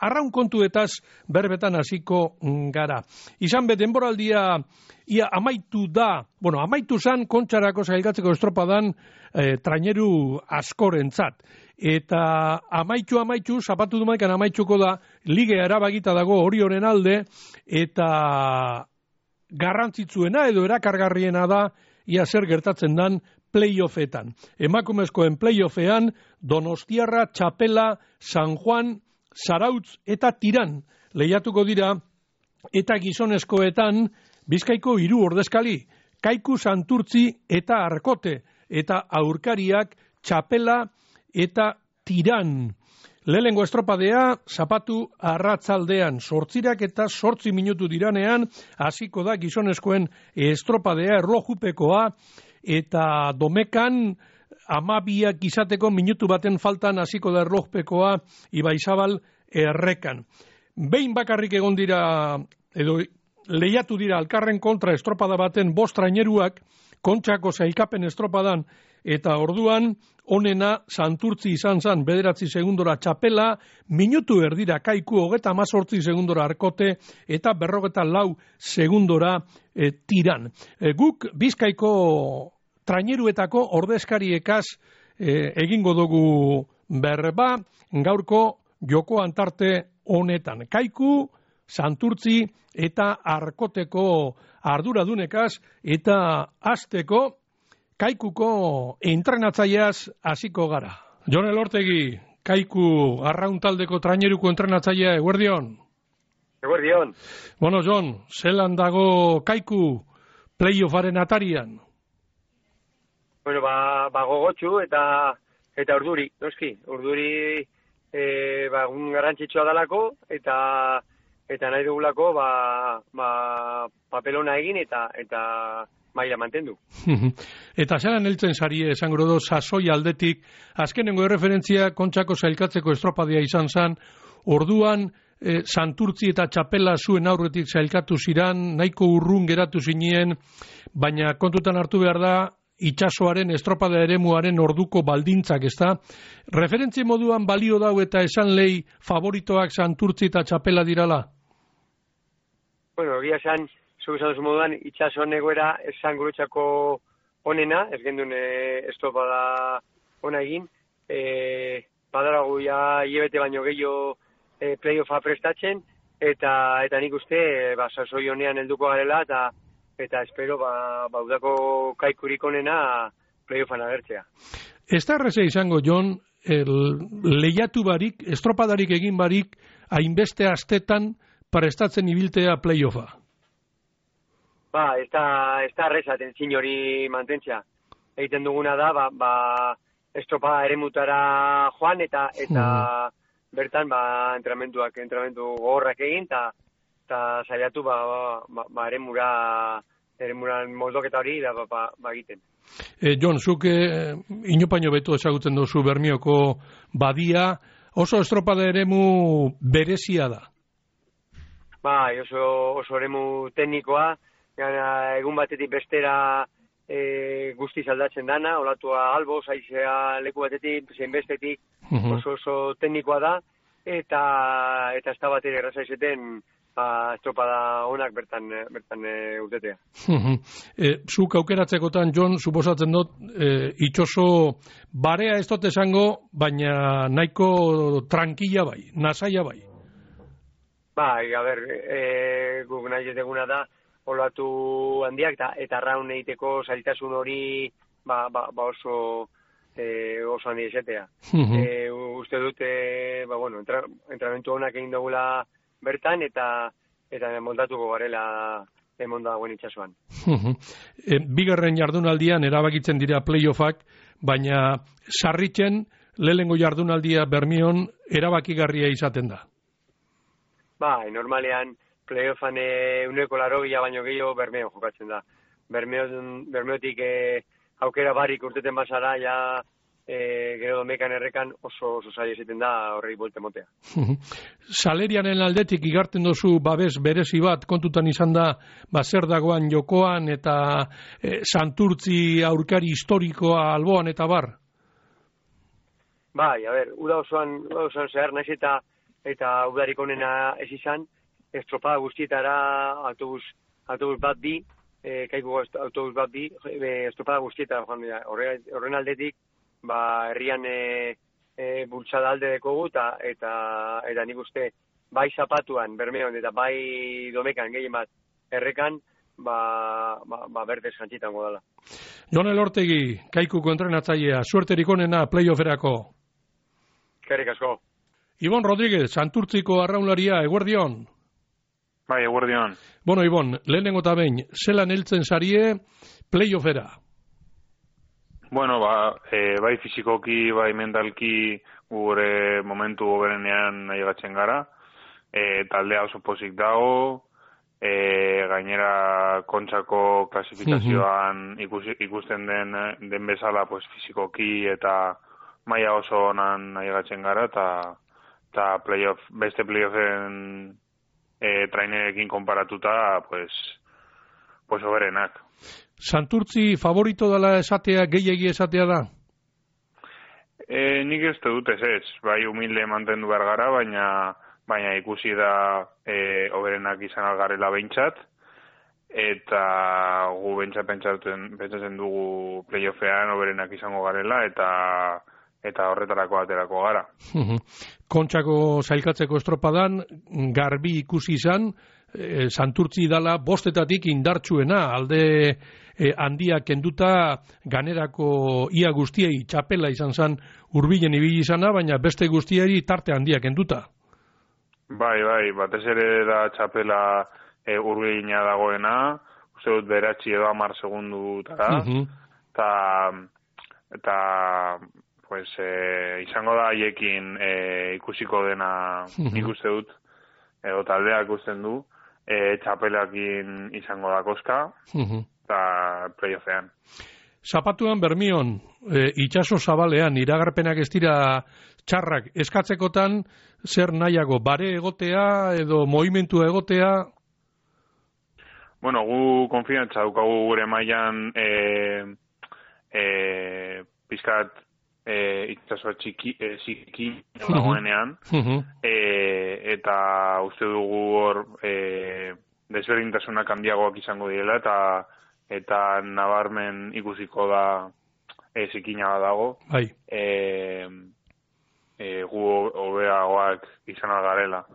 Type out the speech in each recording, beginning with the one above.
arraun kontuetaz berbetan hasiko gara. Izan be denboraldia ia amaitu da, amaitu zan Kontxarako sailkatzeko estropadan traineru askorentzat. Eta amaitu, zapatu dumaikan amaitzuko da, ligea erabakita dago Orionen alde, eta garrantzitsuena edo erakargarriena da, ia zer gertatzen dan playoffetan. Emakumezkoen playoffean, Donostiarra, Txapela, San Juan, Zarautz eta Tiran lehiatuko dira, eta gizonezkoetan Bizkaiko 3 ordezkali, Kaiku, Santurtzi eta Arkote, eta aurkariak Txapela eta Tiran. Lehenengo estropadea, zapatu arratzaldean, 8:08 minutu diranean, hasiko da gizonezkoen estropadea erlojupekoa, eta domekan 12 izateko minutu baten faltan hasiko da erlojupekoa Ibaizabal errekan. Behin bakarrik egon dira, edo lehiatu dira alkarren kontra estropada baten 5 traineruak, Kontxako sailkapen estropadan, eta orduan onena Santurtzi izan zan 9 segundora Txapela, minutu erdira Kaiku 18 segundora Arkote, eta 44 segundora Tiran. Guk Bizkaiko traineruetako ordezkariekaz egingo dugu berba gaurko joko antarte honetan. Kaiku, Santurtzi eta Arkoteko arduradunekaz, eta hasteko Kaikuko entrenatzaileaz hasiko gara. Jon Elortegi, Kaiku arraun taldeko traineruko entrenatzailea, eguerdion. Eguerdion. Bueno, Jon, zelan dago Kaiku playoffaren atarian? Bueno, gogotsu eta urduri, noski. Urduri un garrantzitsua dalako eta nahi dugulako papelona egin eta maila mantendu. Eta zelan heltzen sarie, esango do, sasoi aldetik, azkenengo erreferentzia Kontxako sailkatzeko estropadia izan zan, orduan Santurtzi eta Txapela zuen aurretik sailkatu ziran, nahiko urrun geratu zinien, baina kontutan hartu behar da, itsasoaren estropada eremuaren orduko baldintzak, ezta? Referentzia moduan balio dau eta esan lehi favoritoak Santurtzi eta Txapela dirala? Bueno, egia esan, zuk esan duzu moduan, itsasoan egoera esan guretzako onena, ez gendun estropada ona egin, badaragu ja hilabete baino gehiago playoffa prestatzen, eta nik uste, sasoi honean helduko garela, eta espero udako Kaikurik onena playoffan agertzea. Ez da erreza izango, Jon, lehiatu barik, estropadarik egin barik, hainbeste astetan prestatzen ibiltea playoffa. Ez da erreza tentzin hori mantentzea. Egiten duguna da, estropada eremutara joan, eta bertan entrenamendu gogorrak egin, eta saiatu eremuran moldoketa hori egiten. Jon, zuk inopaino beto ezagutzen duzu Bermioko badia, oso estropada eremu berezia da. Oso eremu teknikoa, egun batetik bestera guztiz aldatzen dana, olatua albo, zaizea leku batetik, zein bestetik, oso teknikoa da, eta ez da batera erraza izeten estropada onak bertan utetea. Zuk aukeratzekotan, Jon, suposatzen dut, itxoso barea ez dut esango, baina nahiko tranquila bai, nasaia bai. Guk nahi deguna da, olatu handiak eta arraun egiteko zailtasun hori oso handia izatea. Uste dute, entrenamentu honak egin dugula bertan eta moldatuko garela emonda dagoen itxasuan. Bigarren jardunaldian erabakitzen dira playoffak, baina sarritzen lehenengo jardunaldia Bermion erabakigarria izaten da. Normalean playoffan 180 baino gehiago Bermeon jokatzen da. Bermeotik aukera barik urteten bazara, gero domekan errekan oso zaila izaten da horrei buelte motea. Salerianen aldetik igarten dozu babes berezi bat, kontutan izan da, zer dagoan jokoan eta Santurtzi aurkari historikoa alboan eta bar? Uda osoan zehar naiz eta eta udarik onena ez izan, estropada guztietara autobus bat bi, kaiku autobus bat bi, estropada guztietara joan dira. Horren aldetik, herrian bultzada alde dekogu, eta nik uste, bai zapatuan, Bermeon, eta bai domekan gehien bat errekan, berdez jantzitango dela. Jon Elortegi, Kaikuko entrenatzailea, suerterik onena playofferako. Eskerrik asko. Ibon Rodríguez, Santurtziko arraunlaria, eguerdion. Bai, eguerdion. Bueno, Ibon, lehenengo eta behin, zelan heltzen zarie playoffera? Bueno, bai fizikoki, bai mentalki gure momentu goberenean nahigatzen gara. Taldea oso pozik dago, gainera Kontxako klasifikazioan ikusten den bezala pues, fizikoki eta maila oso onan nahigatzen gara, eta beste playoffen trainerekin konparatuta, pues oberenak. Santurtzi favorito dela esatea, gehiegi esatea da? Nik ez dut ez, bai humilde mantendu behar gara, baina ikusi da oberenak izan algarela behintzat, eta gu behintzat pentsatzen dugu playoffean oberenak izango garela, eta horretarako aterako gara. Kontxako sailkatzeko estropadan, garbi ikusi izan, Santurtzi dala bostetatik indartsuena, alde handia kenduta ganerako ia guztiei txapela izan zen hurbilen ibili izana, baina beste guztiei tarte handia kenduta. Bai, batez ere da txapela hurbilina dagoena, uste dut 9 edo 10 segundutara, eta pues izango da haiekin ikusiko dena nik uste dut, edo taldeak ikusten du, txapelakin izango da koska, eta playoffean. Zapatuan Bermion, itxaso zabalean, iragarpenak ez dira txarrak, eskatzekotan zer nahiago, bare egotea edo movimentua egotea? Bueno, gu konfiantza daukagu gure mailan pizkat itxasoa txiki dagoenean, eta uste dugu hor desberdintasunak handiagoak izango direla, eta nabarmen ikusiko da zikina bat dago. Bai. Gu hobeagoak izan algarela.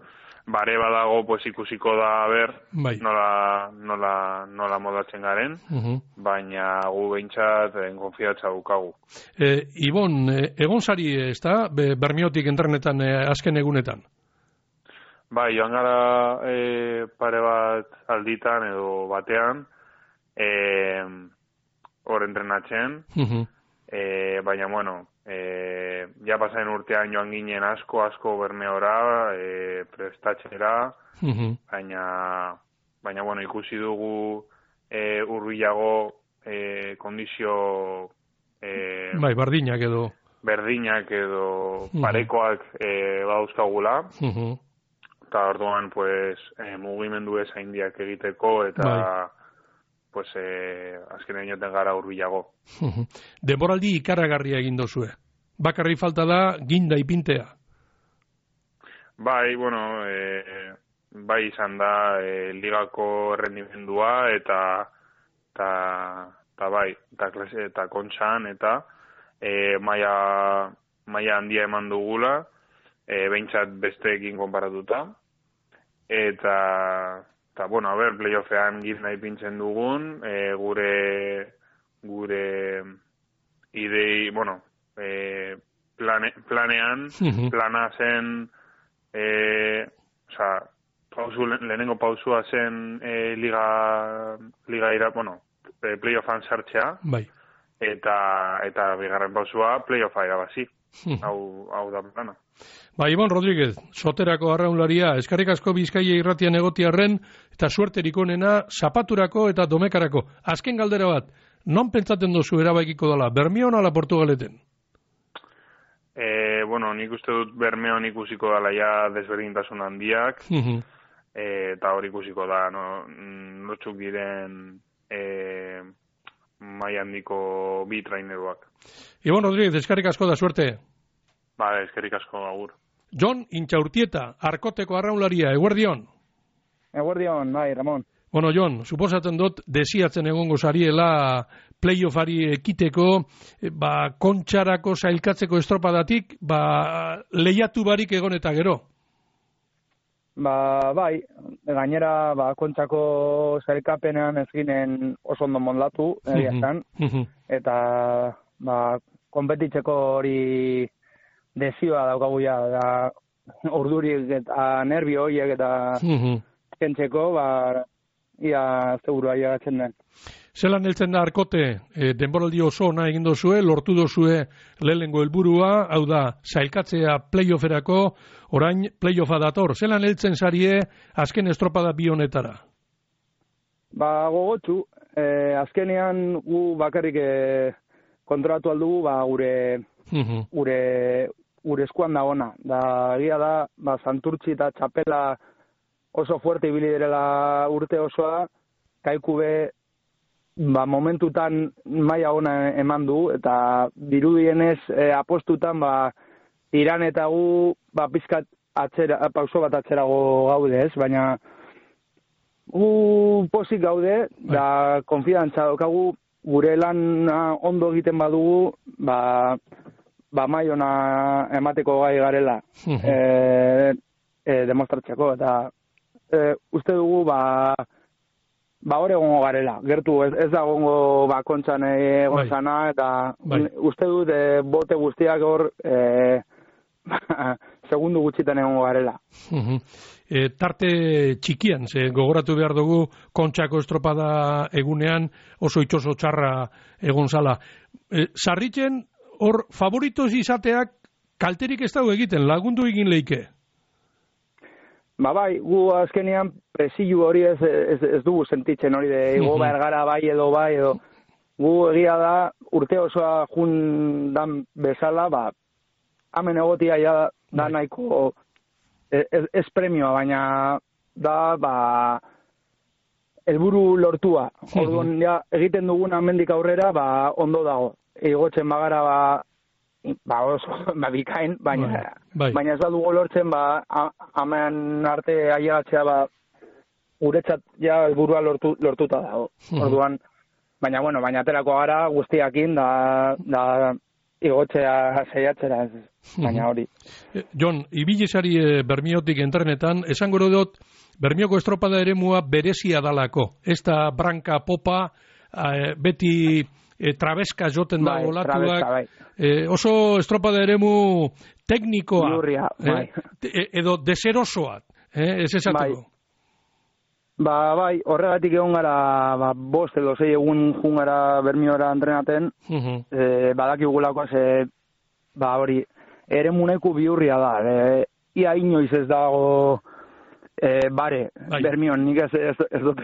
Bare badago pues ikusiko da bai. nola modatzen garen, baina gu behintzat konfiatza daukagu. Ibon, egon zari ez da, Bermiotik entrenetan azken egunetan? Bai, joan gara pare bat alditan edo batean, hor entrenatzen, baina bueno, ja pasaen urtean joan ginen asko Bermeora, prestatzera, baina bueno, ikusi dugu hurbilago kondizio bai, berdinak edo parekoak badauzkagula, eta orduan pues mugimendu ez haindiak egiteko, eta pues azken inoten gara hurbilago. Denboraldi ikaragarria egin dozue. Bakarri falta da ginda ipintea. Bai, bueno, bai izan da ligako errendimendua eta bai, eta Kontxan, eta maila handia eman dugula, behintzat besteekin konparatuta, eta bueno, playoffean gizna ipintzen dugun, gure idei, bueno, plana zen, lehenengo pausua zen playoffan sartzea, bai. eta bigarren pausua playoffa irabazi. Hau da plana. Ibon Rodríguez, Soterako arraunlaria, eskarrik asko Bizkaia irratian egotiarren, eta suerterik onena zapaturako eta domekarako. Azken galdera bat, non pentsaten dozu erabakiko dela, Bermeon ala Portugaleten? Bueno, nik uste dut Bermeon ikusiko dela ja desberdintasun handiak, eta hori ikusiko da, notxuk diren maila handiko bi traineruak. Ibon Rodríguez, eskarrik asko da suerte. Eskerrik asko, agur. Jon Intxaurtieta, Arkoteko arraunlaria, eguerdion? Eguerdion, bai, Ramon. Bueno, Jon, suposatzen dut, desiatzen egongo zariela playoffari ekiteko, kontxarako sailkatzeko estropadatik, lehiatu barik egon eta gero. Bai, gainera, kontxako sailkapenean ez ginen oso ondo mondatu, eta, konpetitzeko hori desioa daukaguia, da urdurik eta nervio horiek eta kentzeko, ia segurua igatzen den. Zelan heltzen da Arkote, denboraldi oso ona egin dozue, lortu dozue lehenengo helburua, hau da, sailkatzea playofferako, orain playoffa dator. Zelan heltzen zarie azken estropada bi honetara? Gogotsu, azkenean gu bakarrik kontrolatu aldugu, gure eskuan da ona. Da, egia da, Santurtzi eta Txapela oso fuerte ibili direla urte osoa, Kaikube momentutan maila ona eman du, eta dirudienez apostutan Iran eta gu pizkat pauso bat atzerago gaude, ez? Baina gu pozik gaude, da konfidantza daukagu, gure lan ondo egiten badugu, maila ona emateko gai garela demostratzeko, eta uste dugu hor egongo garela. Gertu ez da egongo kontxan egon zana, eta uste dut bote guztiak hor segundu gutxitan egongo garela. Tarte txikian, gogoratu behar dugu kontxako estropada egunean oso itxoso txarra egon zala. Sarritzen hor favoritos izateak kalterik ez dago egiten, lagundu egin leike? Bai, gu azkenean presilu hori ez dugu sentitzen hori de ego bergara bai edo gu egia da urte osoa jundan bezala, hemen egotia da nahiko ez premioa, baina da helburu lortua. Orduan egiten dugun hemendik aurrera ondo dago. Igotzen bagara oso bikain, baina ez badugu lortzen hemen arte ailegatzea guretzat ja helburua lortuta dago. Orduan, baina aterako gara guztiakin da igotzea saiatzera, baina hori. Jon, ibilizari Bermiotik entrenetan, esango dut Bermioko estropada eremua berezia dalako. Ez da branka popa, beti trabeska joten dago olatuak, oso estropada eremu teknikoa, Biurria, edo deserosoak, ez esateko. Horregatik egon gara, 5 edo 6 egun jun gara Bermiora entrenaten, badakigulako hori, eremuneku bihurria da, ia inoiz ez dago Bermion, nik ez dut,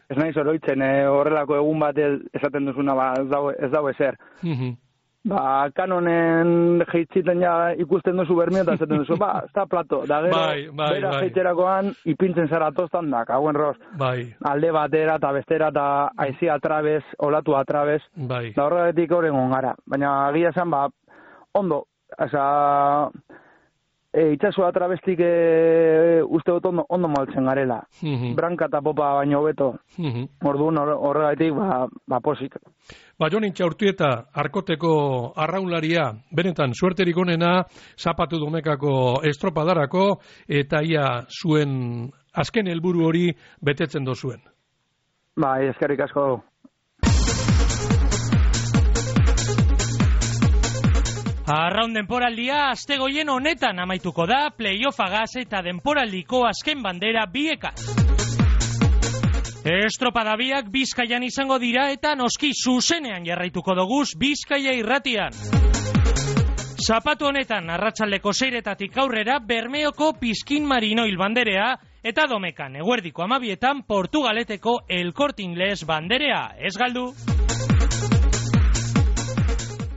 ez nahi zoroitzen, horrelako egun bat esaten duzuna, ez dago ezer. Kanonen jeitziten ikusten duzu Bermio eta esaten duzu, ez da plato, da gero, bera jeitzerakoan ipintzen zara toztan da, kauen roz, alde batera eta bestera eta aizia atrabez, olatu atrabez, da horregatik horrengon gara. Baina agia esan, ondo, itxasua trabestik uste dut ondo maltzen garela. Branka eta popa baino beto. Orduan horregatik posik. Jon Intxaurtieta, Arkoteko arraunlaria, benetan suerterik onena, zapatu domekako estropadarako, eta ia zuen azken helburu hori betetzen dozuen. Eskerrik asko. Arraun denporaldia astegoien honetan amaituko da, playoffagaz eta denporaldiko azken bandera biekaz. Estropada biak Bizkaian izango dira eta noski zuzenean jarraituko doguz Bizkaia irratian. Zapatu honetan arratsaldeko 6:00 aurrera Bermeoko Pizkin Marinoil banderea eta Domekan eguerdiko 12:00 Portugaleteko El Corte Inglés banderea. Ez galdu!